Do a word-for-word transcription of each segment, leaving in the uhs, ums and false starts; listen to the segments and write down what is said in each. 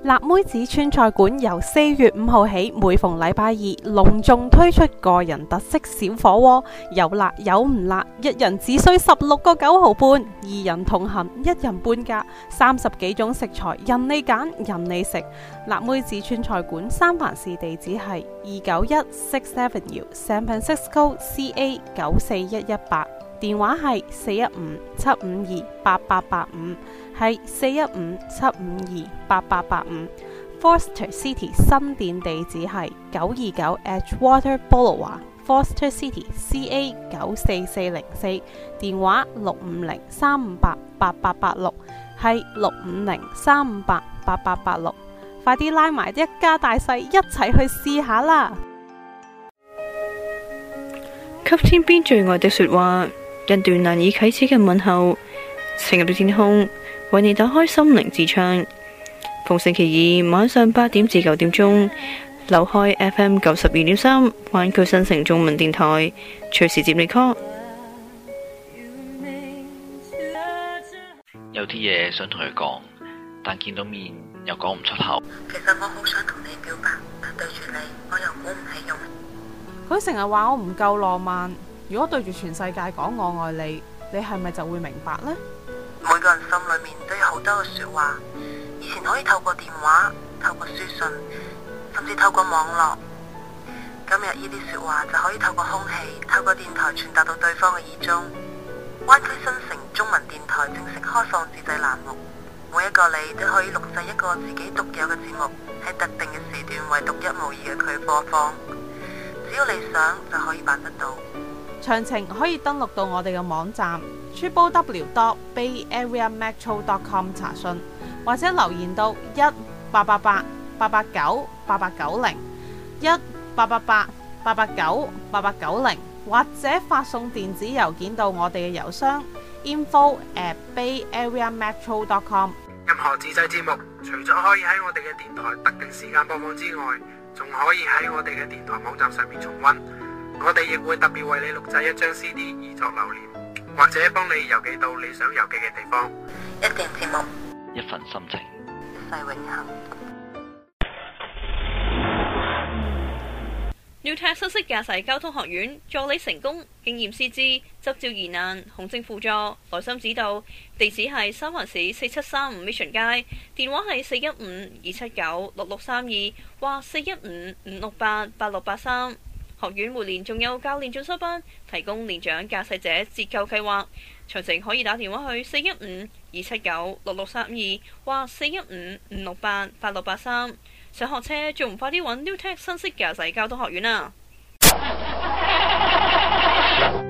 辣妹子川菜館由四月五號起，每逢禮拜二隆重推出個人特色小火鍋，有辣有唔辣，一人只需十六個九毫半，二人同行一人半價，三十幾種食材任你揀任你食。辣妹子川菜館三藩市地址係二九一 Sixth Avenue San Francisco C A 九四一一八，電話係四一五七五二八八八五。係四一五七五二八八八五。 Foster City 新店地址係九二九 Edgewater Boulevard Foster City C A 九四四零四，電話六五零三五八八八八六，係六五零三五八八八八六。快啲拉埋一家大細一齊去試下啦！給天邊最愛的說話，一段難以啟齒嘅問候，情入的天空為你打開心靈之窗。逢星期二晚上八點至九點鐘，留開 F M 九十二點三，灣區新城中文電台，隨時接你 call。有啲嘢想同佢講，但見到面又講唔出口。其實我好想同你表白，但對住你，我又鼓唔起勇。佢成日話我唔夠浪漫，如果對住全世界講我愛你，你係咪就會明白呢？每個人心裏面都有好多嘅說話，以前可以透過電話、透過書信，甚至透過網絡。今日呢啲說話就可以透過空氣、透過電台傳達到對方嘅耳中。灣區新城中文電台正式開放自製欄目，每一個你都可以錄製一個自己獨有嘅節目，喺特定嘅時段為獨一無二嘅佢播放。只要你想就可以辦得到。詳情可以登錄到我哋嘅網站 triple w dot bay area metro dot com 查詢，或者留言到一八八八八八九八八九零一八八八八八九八八九零，或者發送電子郵件到我哋嘅郵箱 info at bay area metro dot com。任何自製節目，除咗可以喺我哋嘅電台特定時間播放之外，仲可以喺我哋嘅電台網站上面重溫。我哋亦會特別為你錄製一張 C D 以作留念，或者幫你郵寄到你想郵寄嘅地方。一段節目，一份心情，一世永恆。Newtech 新式駕駛交通學院助你成功，經驗師資，執照疑難，行政輔助，耐心指導。地址係三藩市四七三五 Mission 街，電話係四一五二七九六六三二或四一五五六八八六八三。學院每年仲有教練進修班，提供年長駕駛者折扣計劃。詳情可以打電話去四一五二七九六六三二或四一五五六八八六八三。想學車仲唔快啲揾 Newtech 新式駕駛交通學院啊！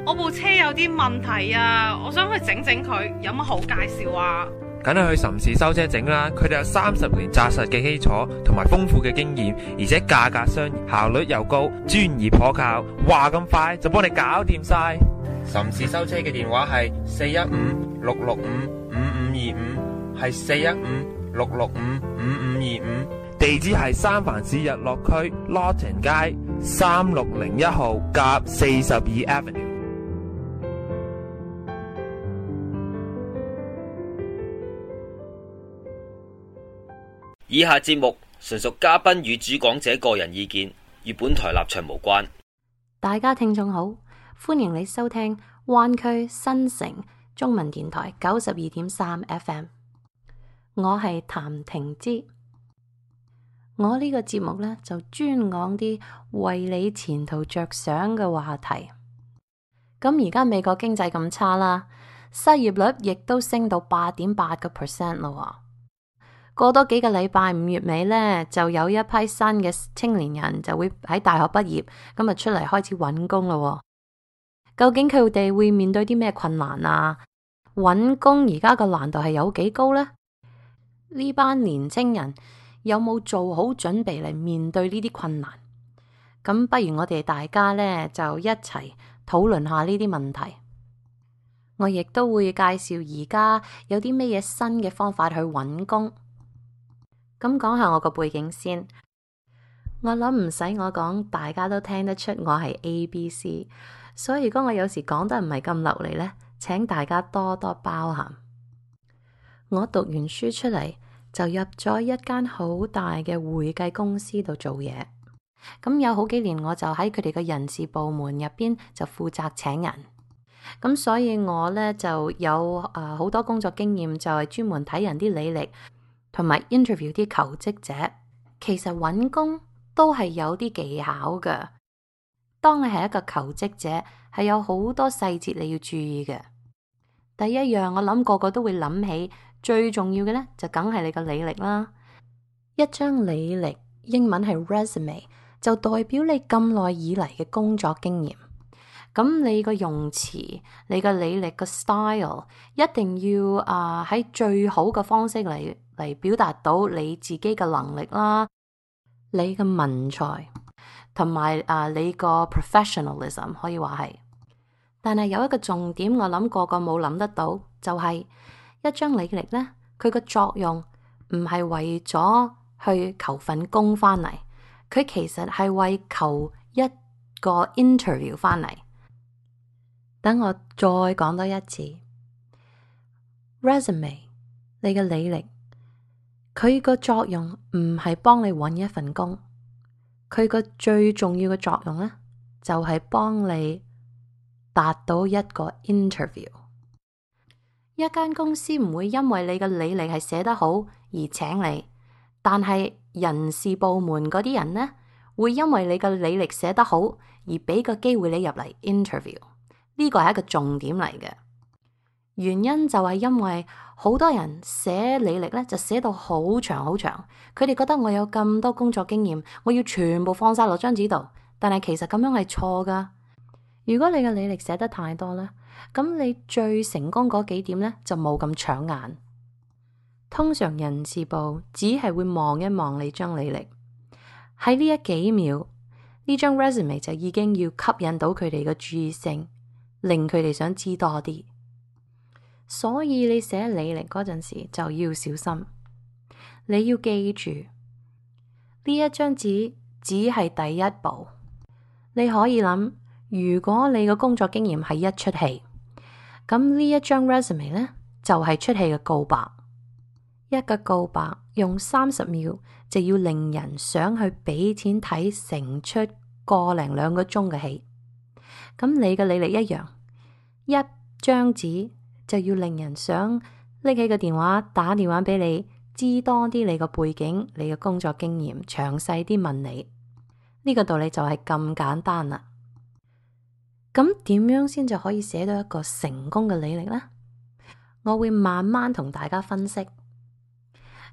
我部車有啲問題啊，我想去整整佢，有乜好介紹啊？梗係去岑氏修車整啦，佢哋有三十年紮實嘅基礎同埋豐富嘅經驗，而且價格相宜，效率又高，專業可靠，話咁快就幫你搞掂晒。岑氏修車嘅電話係四一五六六五五五二五，係四一五六六五五五二五，地址係三藩市日落區 Lawton 街三六零一號甲四十二 Avenue。以下節目純屬嘉賓與主講者個人意見，與本台立場無關。大家聽眾好，歡迎你收聽灣區新城中文電台九十二點三 F M。我係譚婷之，我呢個節目呢，就專講啲為你前途着想嘅話題。咁而家美國經濟咁差啦，失業率亦都升到八點八個 percent 咯。過多幾個禮拜，五月尾呢，就有一批新嘅青年人就會喺大學畢業，咁啊出嚟開始揾工咯。究竟佢哋會面對啲咩困難啊？揾工而家個難度係有幾高呢？呢班年青人有冇做好準備嚟面對呢啲困難？咁不如我哋大家呢，就一齊討論下呢啲問題。我亦都會介紹而家有啲咩嘢新嘅方法去揾工。咁講下我個背景先，我諗唔使我講，大家都聽得出我係 A B C， 所以如果我有時講得唔係咁流利呢，請大家多多包涵。我讀完書出嚟，就入咗一間好大嘅會計公司度做嘢。咁有好幾年我就喺佢哋嘅人事部門入邊就負責請人。咁所以我呢就有誒好多工作經驗，就係專門睇人啲履歷同埋 interview 啲求職者。其實揾工都係有啲技巧嘅。當你係一個求職者，係有好多細節你要注意嘅。第一樣，我諗個個都會諗起最重要嘅呢，就梗係你個履歷啦。一張履歷，英文係 resume， 就代表你咁耐以嚟嘅工作經驗。咁你個用詞，你個履歷個 style 一定要啊喺、呃、最好嘅方式嚟嚟表達到你自己嘅能力啦，你嘅文采同埋啊你個 professionalism 可以話係。但係有一個重點，我諗個個冇諗得到，就係、是、一張履歷呢，佢個作用唔係為咗去求份工翻嚟，佢其實係為求一個 interview 翻嚟。等我再講多一次 ，resume 你嘅履歷，佢個作用唔係幫你揾一份工，佢個最重要嘅作用呢，就係幫你達到一個 interview。一間公司唔會因為你嘅履歷係寫得好而請你，但係人事部門嗰啲人呢，會因為你嘅履歷寫得好而俾個機會你入嚟 interview。呢個係一個重點嚟嘅，原因就係因為好多人寫履歷咧就寫到好長好長，佢哋覺得我有咁多工作經驗，我要全部放晒落張紙度，但係其實咁樣係錯噶。如果你嘅履歷寫得太多咧，咁你最成功嗰幾點咧就冇咁搶眼。通常人事部只係會望一望你張履歷，喺呢一幾秒，呢張 resume 就已經要吸引到佢哋嘅注意性，令佢哋想知多啲。所以你寫履歷嗰陣時就要小心，你要記住呢一張紙只係第一步。你可以諗，如果你嘅工作經驗係一出戲，咁呢一張 resume 呢，就係出戲嘅告白。一個告白用三十秒就要令人想去俾錢睇成出個零兩個鐘嘅戲。咁你嘅履歷一樣，一張紙就要令人想拎起個電話打電話俾你，知多啲你個背景、你嘅工作經驗，詳細啲問你。呢個道理就係咁簡單啦。咁點樣先就可以寫到一個成功嘅履歷呢？我會慢慢同大家分析。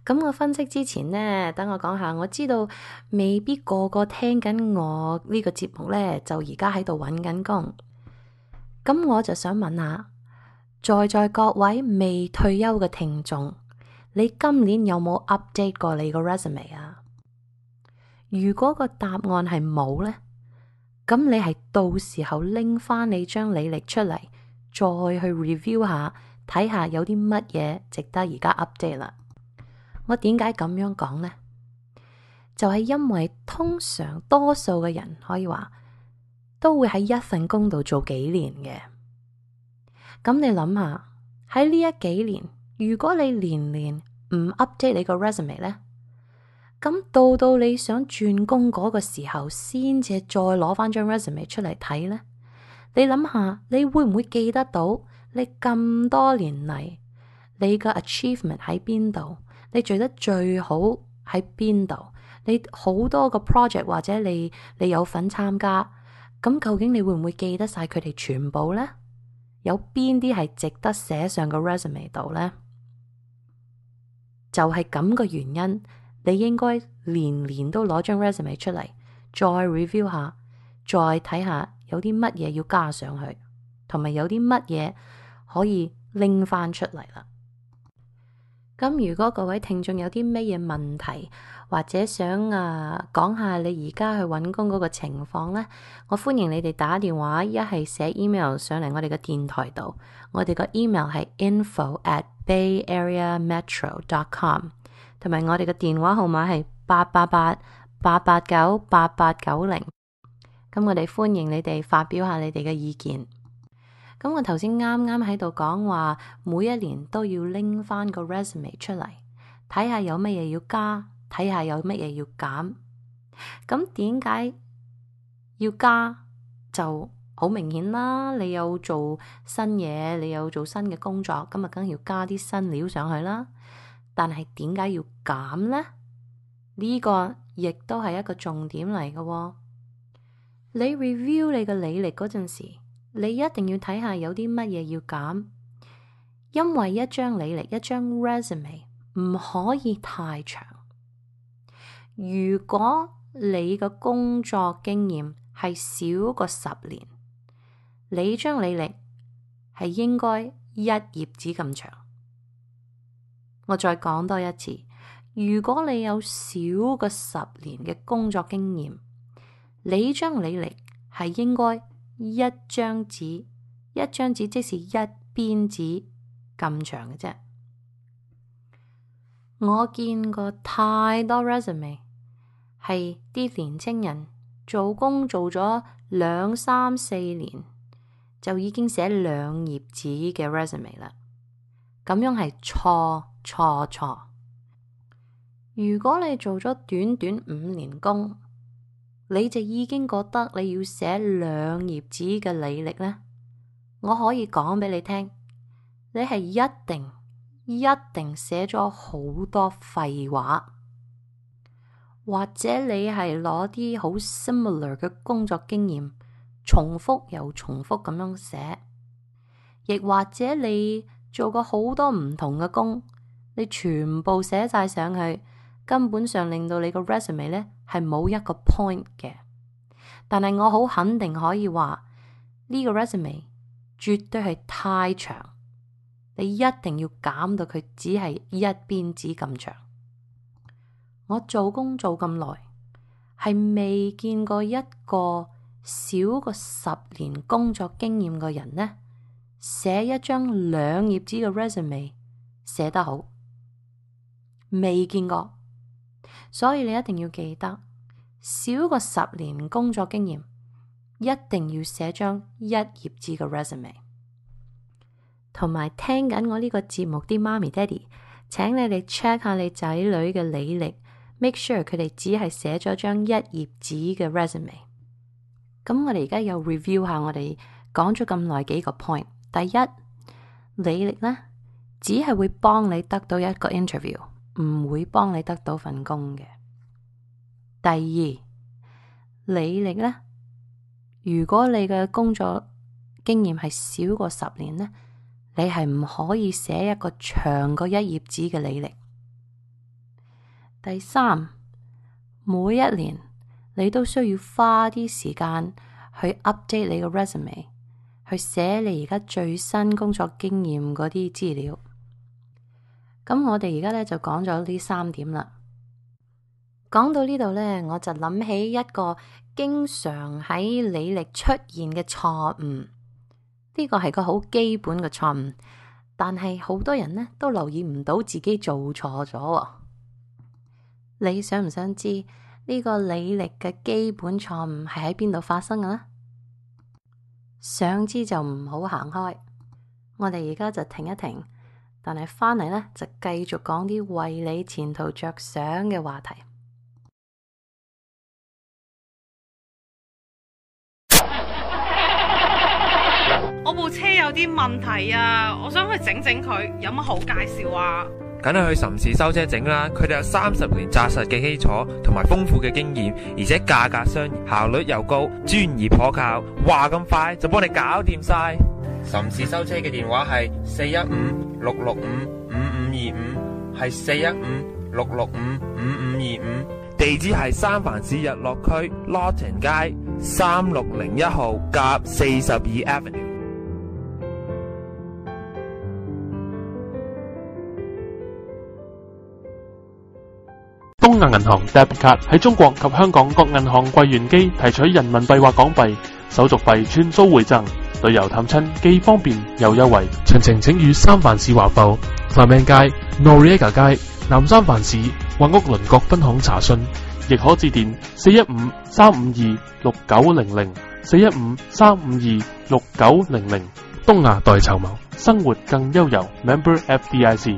咁我分析之前呢，等我講下，我知道未必個個聽緊我呢個節目呢，就而家喺度揾緊工。咁我就想問下，在在各位未退休嘅聽眾，你今年有冇 update 過你個 resume 啊？如果個答案係冇呢，咁你係到時候拎翻你張履歷出嚟，再去 review 下，睇下有啲乜嘢值得而家 update 啦。我點解咁樣講呢？就係因為通常多數嘅人可以話都會喺一份工度做幾年嘅。咁你諗下，喺呢一幾年，如果你年年唔 update 你個 resume 呢，咁到到你想轉工嗰個時候，先至再攞翻張 resume 出嚟睇呢？你諗下，你會唔會記得到你咁多年嚟你個 achievement 喺邊度？你做得最好喺邊度？你好多個 project 或者你你有份參加，咁究竟你會唔會記得晒佢哋全部呢？有邊啲係值得寫上個 resume 度呢？就係咁個原因，你應該年年都攞張 resume 出嚟，再 review 下，再睇下有啲乜嘢要加上去，同埋有啲乜嘢可以拎翻出嚟啦。咁如果各位聽眾有啲咩嘢問題，或者想啊講下你而家去揾工嗰個情況呢，我歡迎你哋打電話，一係寫 email 上嚟我哋嘅電台度。我哋個 email 係 info at bay area metro dot com， 同埋我哋嘅電話號碼係八八八八八九八八九零。咁我哋歡迎你哋發表下你哋嘅意見。咁我頭先啱啱喺度講話，每一年都要拎翻個 resume 出嚟，睇下有乜嘢要加，睇下有乜嘢要減。咁點解要加就好明顯啦，你有做新嘢，你有做新嘅工作，咁啊梗係要加啲新料上去啦。但係點解要減呢？呢個亦都係一個重點嚟嘅喎。你 review 你嘅履歷嗰陣時，你一定要睇下有啲乜嘢要減，因為一張履歷，一張 resume 唔可以太長。如果你嘅工作經驗係少過十年，你張履歷係應該一頁紙咁長。我再講多一次，如果你有少過十年嘅工作經驗，你張履歷係應該一張紙，一張紙即是一邊紙咁長嘅啫。我見過太多 resume 係啲年青人做工做咗兩三四年就已經寫兩頁紙嘅 resume 啦，咁樣係錯錯錯。如果你做咗短短五年工，你就已經覺得你要寫兩頁紙嘅履歷呢？我可以講俾你聽，你係一定一定寫咗好多廢話，或者你係攞啲好 similar 嘅工作經驗，重複又重複咁樣寫，亦或者你做過好多唔同嘅工，你全部寫晒上去，根本上令到你個 resume 呢係冇一個 point 嘅。但係我好肯定可以話呢個 resume 絕對係太長，你一定要減到佢只係一邊紙咁長。我做工做咁耐，係未見過一個少過十年工作經驗嘅人呢，寫一張兩頁紙嘅 resume 寫得好，未見過。所以你一定要記得，少過十年工作經驗，一定要寫張一頁紙嘅 resume。同埋聽緊我呢個節目啲媽咪爹哋，請你哋 check 下你仔女嘅履歷，make sure 佢哋只係寫咗張一頁紙嘅 resume。咁我哋而家又 review 下我哋講咗咁耐幾個 point。第一，履歷呢，只係會幫你得到一個 interview，唔會幫你得到份工嘅。第二，履歷呢，如果你嘅工作經驗係少過十年呢，你係唔可以寫一個長過一頁紙嘅履歷。第三，每一年你都需要花啲時間去 update 你個 resume， 去寫你而家最新工作經驗嗰啲資料。咁我哋而家咧就講咗呢三點啦。講到呢度咧，我就諗起一個經常喺履歷出現嘅錯誤。呢個係個好基本嘅錯誤，但係好多人呢都留意唔到自己做錯咗。你想唔想知呢個履歷嘅基本錯誤係喺邊度發生嘅呢？想知就唔好行開，我哋而家就停一停，但係翻嚟呢，就繼續講啲為你前途着想嘅話題。我部車有啲問題啊，我想去整整佢，有乜好介紹啊？梗係去岑氏修車整啦，佢哋有三十年紮實嘅基礎同埋豐富嘅經驗，而且價格相宜，效率又高，專業可靠，話咁快就幫你搞掂晒。岑氏修車嘅電話係四一五六六五五五二五，係四一五六六五五五二五，地址係三藩市日落區 Lawton 街三六零一號甲四十二 Avenue。東亞銀行 Debit Card 喺中國及香港各銀行櫃員機提取人民幣或港幣，手續費全數回贈，旅遊探親既方便又優惠。詳情請與三藩市華埠 Clement 街、Noriega 街、南三藩市或屋鄰各分行查詢，亦可致電四一五三五二六九零零 四一五三五二六九零零。東亞代籌謀，生活更悠遊。Member F D I C。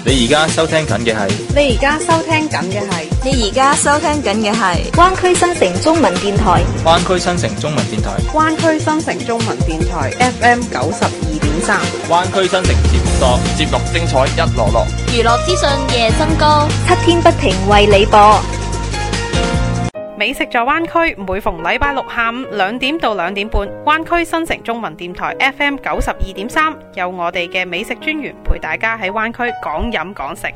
你而家收聽緊嘅係，你而家收聽緊嘅係，你而家收聽緊嘅係灣區新城中文電台，灣區新城中文電台，灣區新城中文電台 F M 九十二點三，灣區新城節目多，節目精彩一籮籮，娛樂資訊夜增高，七天不停為你播。美食在灣區，每逢禮拜六下午兩點到兩點半，灣區新城中文電台 F M 九十二點三，有我哋嘅美食專員陪大家喺灣區講飲講食。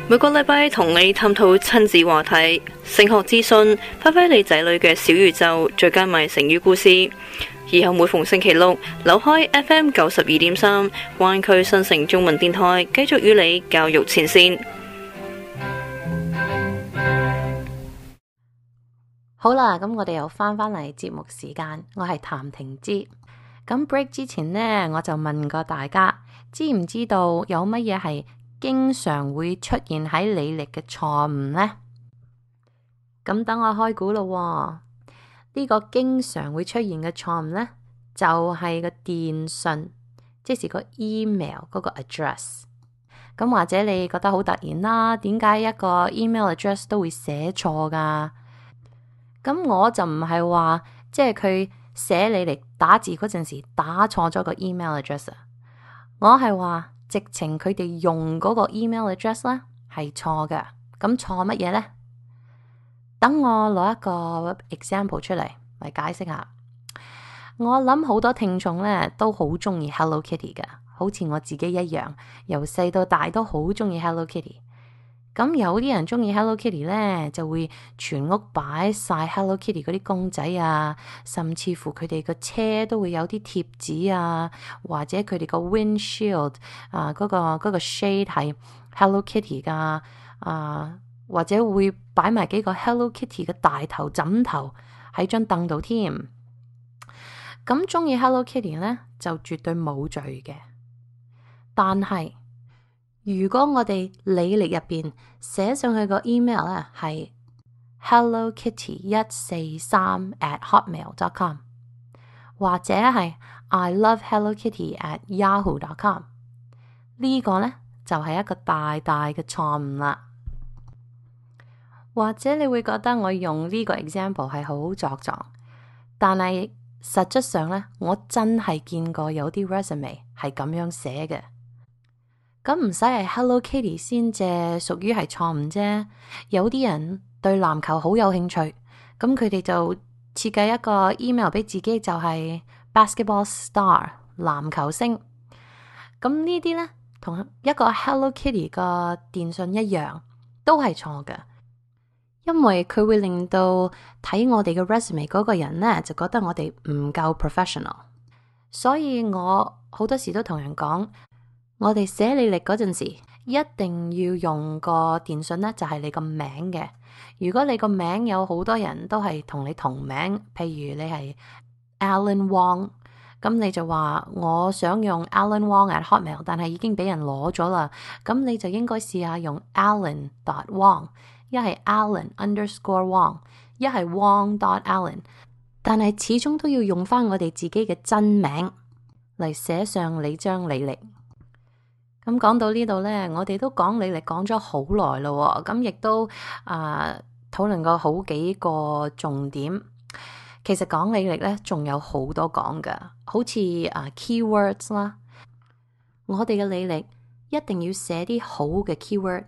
每個禮拜同你探討親子話題、升學資訊，發揮你仔女嘅小宇宙，再加埋成語故事。以後每逢星期六，扭開 F M 九十二點三，灣區新城中文電台繼續與你教育前線。好啦，咁我哋又翻返嚟節目時間，我係譚婷之。咁 break 之前呢，我就問過大家，知唔知道有乜嘢係經常會出現喺履歷嘅錯誤呢？咁等我開估咯。呢個經常會出現嘅錯誤呢，就係個電信，即是個 email 嗰個 address。咁或者你覺得好突然啦，點解一個 email address 都會寫錯噶？咁我就唔係話，即係佢寫履歷打字嗰陣時打錯咗個 email address，我係話直情佢哋用嗰個 email address 咧係錯嘅。咁錯乜嘢呢？等我攞一個 example 出嚟嚟解釋下。我諗好多聽眾咧都好中意 Hello Kitty 嘅，好似我自己一樣，由細到大都好中意 Hello Kitty。咁有啲人中意 Hello Kitty 咧，就會全屋擺晒 Hello Kitty 嗰啲公仔啊，甚至乎佢哋個車都會有啲貼紙啊，或者佢哋個 windshield 啊嗰個嗰個 shade 係 Hello Kitty 噶啊，或者會擺埋幾個 Hello Kitty 嘅大頭枕頭喺張凳度添。咁中意 Hello Kitty 咧就絕對冇罪嘅，但係如果我哋履歷入邊寫上去個 email 咧係 hello kitty 一四三 at hotmail dot com 或者係 I love hello kitty at yahoo dot com， 呢個咧就係一個大大嘅錯誤啦。或者你會覺得我用呢個 example 係好作狀，但係實質上咧我真係見過有啲 resume 係咁樣寫嘅。咁唔使係 Hello Kitty 先至屬於係錯誤啫。有啲人對籃球好有興趣，咁佢哋就設計一個 email 俾自己，就係 basketball star 籃球星。咁呢啲呢，同一個 Hello Kitty 個電信一樣，都係錯嘅，因為佢會令到睇我哋嘅 resume 嗰個人呢，就覺得我哋唔夠 professional。所以我好多時都同人講，我哋寫履歷嗰陣時，一定要用個電信呢，就係你個名嘅。如果你個名有好多人都係同你同名，譬如你係 Alan Wong， 咁你就話我想用 Alan Wong at Hotmail， 但係已經俾人攞咗啦。咁你就應該試下用 Alan dot Wong， 一係 Alan underscore Wong， 一係 Wong dot Alan， 但係始終都要用翻我哋自己嘅真名嚟寫上你張履歷。咁講到呢度呢，我哋都講履歷講咗好耐咯，咁亦都啊討論過好幾個重點。其實講履歷呢，仲有好多講噶，好似啊 keywords 啦，我哋嘅履歷一定要寫啲好嘅 keyword，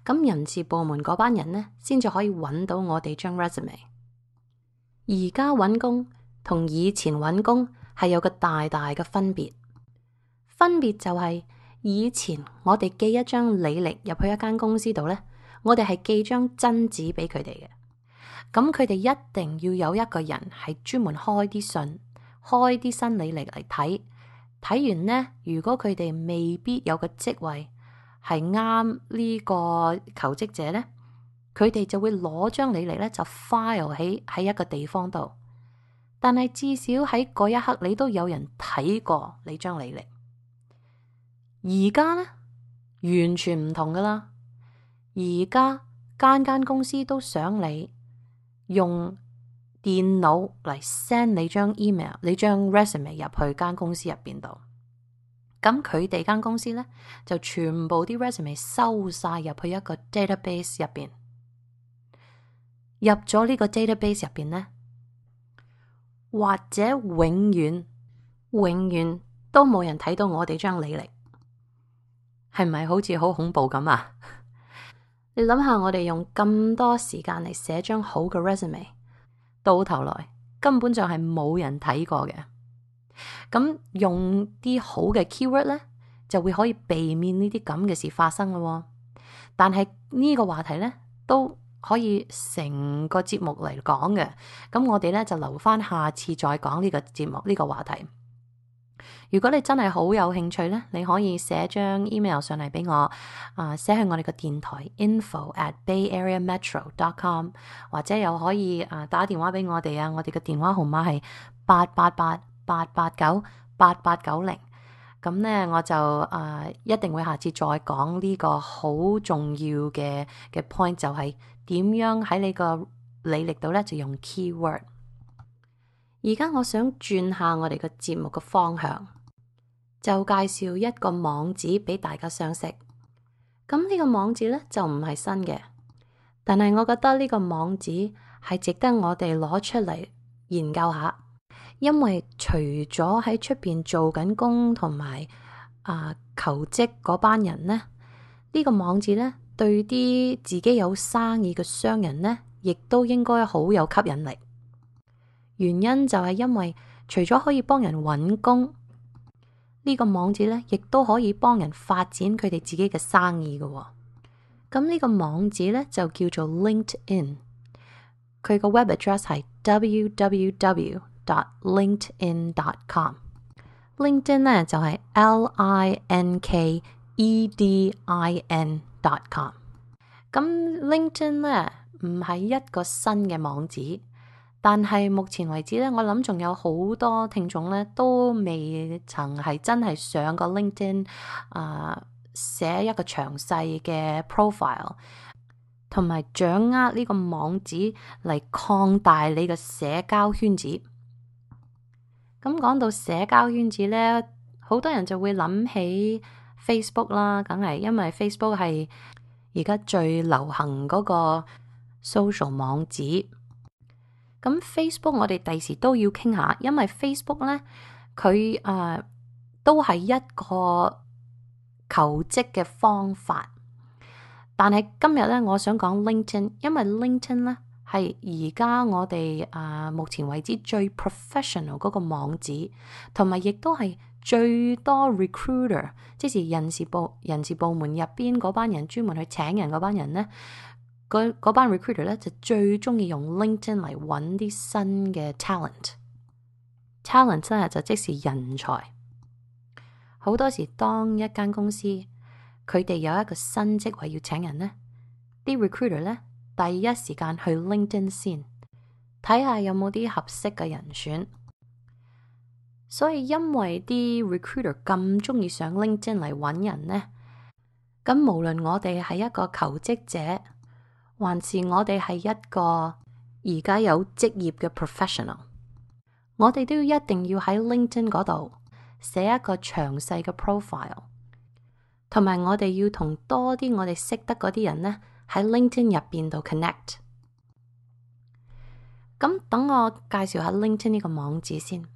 咁人事部門嗰班人呢，先至可以揾到我哋張 resume。而家揾工同以前揾工係有個大大嘅分別，分別就係、是。以前我哋寄一張履歷入去一間公司度呢，我哋係寄張真紙俾佢哋嘅。咁佢哋一定要有一個人係專門開啲信，開啲新履歷嚟睇。睇完呢，如果佢哋未必有個職位係啱呢個求職者呢，佢哋就會攞張履歷呢就 file 喺喺一個地方度。但係至少喺嗰一刻，你都有人睇過你張履歷。而家呢，完全唔同噶啦。而家間間公司都想你用電腦嚟 send 你張 email、你張 resume 入去間公司入邊度。咁佢哋間公司呢，就全部啲 resume 收晒入去一個 database 入邊。入咗呢個 database 入邊呢，或者永遠永遠都冇人睇到我哋張履歷，係咪好似好恐怖咁啊？你諗下，我哋用咁多時間嚟寫張好嘅 resume， 到頭來根本就係冇人睇過嘅。咁用啲好嘅 keyword 呢，就會可以避免呢啲咁嘅事發生咯。但係呢個話題呢，都可以成個節目嚟講嘅。咁我哋呢，就留翻下次再講呢個節目呢個話題。如果你真係好有興趣呢，你可以寫張 email 上嚟俾我，啊、呃、寫去我哋個電台 info at bay area metro dot com， 或者又可以啊、呃、打電話俾我哋啊，我哋嘅電話號碼係八八八八八九八八九零。咁呢，我就啊、呃、一定會下次再講呢個好重要嘅嘅 point， 就係點樣喺你個履歷度呢，就用 keyword。而家我想轉下我哋個節目嘅方向，就介紹一個網址俾大家相識。咁呢個網址呢，就唔係新嘅，但係我覺得呢個網址係值得我哋攞出嚟研究下。因為除咗喺出邊做緊工同埋啊求職嗰班人呢，呢、呢個網址呢，對啲自己有生意嘅商人呢，亦都應該好有吸引力。原因就係因為除咗可以幫人揾工，呢個網址呢亦都可以幫人發展佢哋自己嘅生意嘅。咁呢個網址呢就叫做 LinkedIn， 佢個 web address 係 w w w dot linkedin dot com。 LinkedIn 呢就係 l i n k e d i n dot com。 咁 LinkedIn 呢唔係一個新嘅網址，但係目前為止咧，我諗仲有好多聽眾咧都未曾係真係上過 LinkedIn 啊、呃，寫一個詳細嘅 profile， 同埋掌握呢個網址嚟擴大你嘅社交圈子。咁講到社交圈子咧，好多人就會諗起 Facebook 啦，梗係因為 Facebook 係而家最流行嗰個 social 網址。咁 Facebook 我哋第時都要傾下，因為 Facebook 咧佢誒都係一個求職嘅方法。但係今日咧，我想講 LinkedIn， 因為 LinkedIn 咧係而家我哋誒、呃、目前為止最 professional 嗰個網址，同埋亦都係最多 recruiter， 即是人事部人事部門入邊嗰班人專門去請人嗰班人咧。嗰班 recruiter 咧就最中意用 LinkedIn 嚟揾啲新嘅 talent。talent 真係就即是人才。好多時當一間公司佢哋有一個新職位要請人呢，啲 recruiter 咧第一時間去 LinkedIn 先睇下有冇啲合適嘅人選。所以因為啲 recruiter 咁中意上 LinkedIn 嚟揾人呢，咁無論我哋係一個求職者，還是我哋係一個而家有職業嘅 professional， 我哋都要一定要喺 LinkedIn 嗰度寫一個詳細嘅 profile， 同埋我哋要同多啲我哋識得嗰啲人呢喺 LinkedIn 入邊度 connect。咁等我介紹下 LinkedIn 呢個網址先。